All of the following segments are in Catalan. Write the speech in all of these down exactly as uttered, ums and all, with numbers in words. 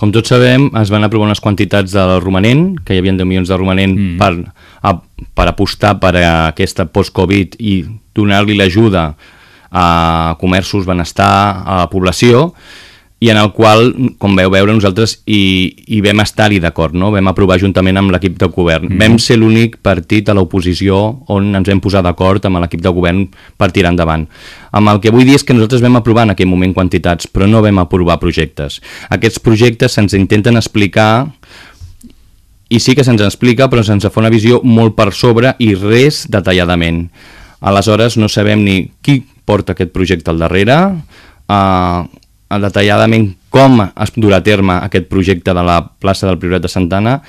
Com tots sabem, es van aprovar unes quantitats del romanent, que hi havia deu milions de romanent mm. per, a, per apostar per a aquesta post-Covid i donar-li l'ajuda a comerços, benestar, a la població, i en el qual, com veu veure, nosaltres hi, hi vam estar-hi d'acord, no? Vam aprovar juntament amb l'equip de govern. Mm. Vam ser l'únic partit a l'oposició on ens vam posar d'acord amb l'equip de govern per tirar endavant. Amb el que vull dir és que nosaltres vam aprovar en aquell moment quantitats, però no vam aprovar projectes. Aquests projectes se'ns intenten explicar, i sí que se'ns explica, però se'ns fa una visió molt per sobre i res detalladament. Aleshores no sabem ni qui porta aquest projecte al darrere, eh, detalladament com es durà a terme aquest projecte de la plaça del Priorat de Santa Anna,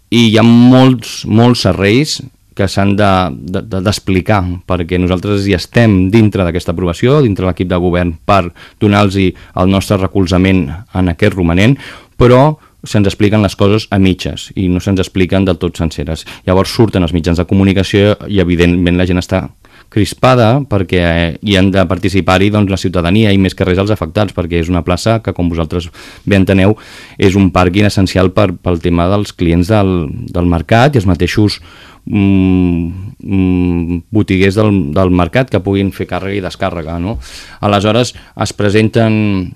i hi ha molts, molts serveis que s'han d'explicar, de, de, perquè nosaltres hi estem dintre d'aquesta aprovació, dintre de l'equip de govern, per donar-los el nostre recolzament en aquest romanent, però se'ns expliquen les coses a mitges i no se'ns expliquen del tot senceres. Llavors surten els mitjans de comunicació i evidentment la gent està crispada perquè hi han de participar-hi doncs, la ciutadania i més que res els afectats, perquè és una plaça que, com vosaltres bé enteneu, és un pàrquing essencial per, pel tema dels clients del, del mercat i els mateixos mm, mm, botiguers del, del mercat que puguin fer càrrega i descàrrega, no? Aleshores es presenten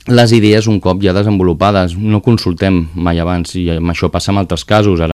les idees un cop ja desenvolupades, no consultem mai abans, i això passa en altres casos. Ara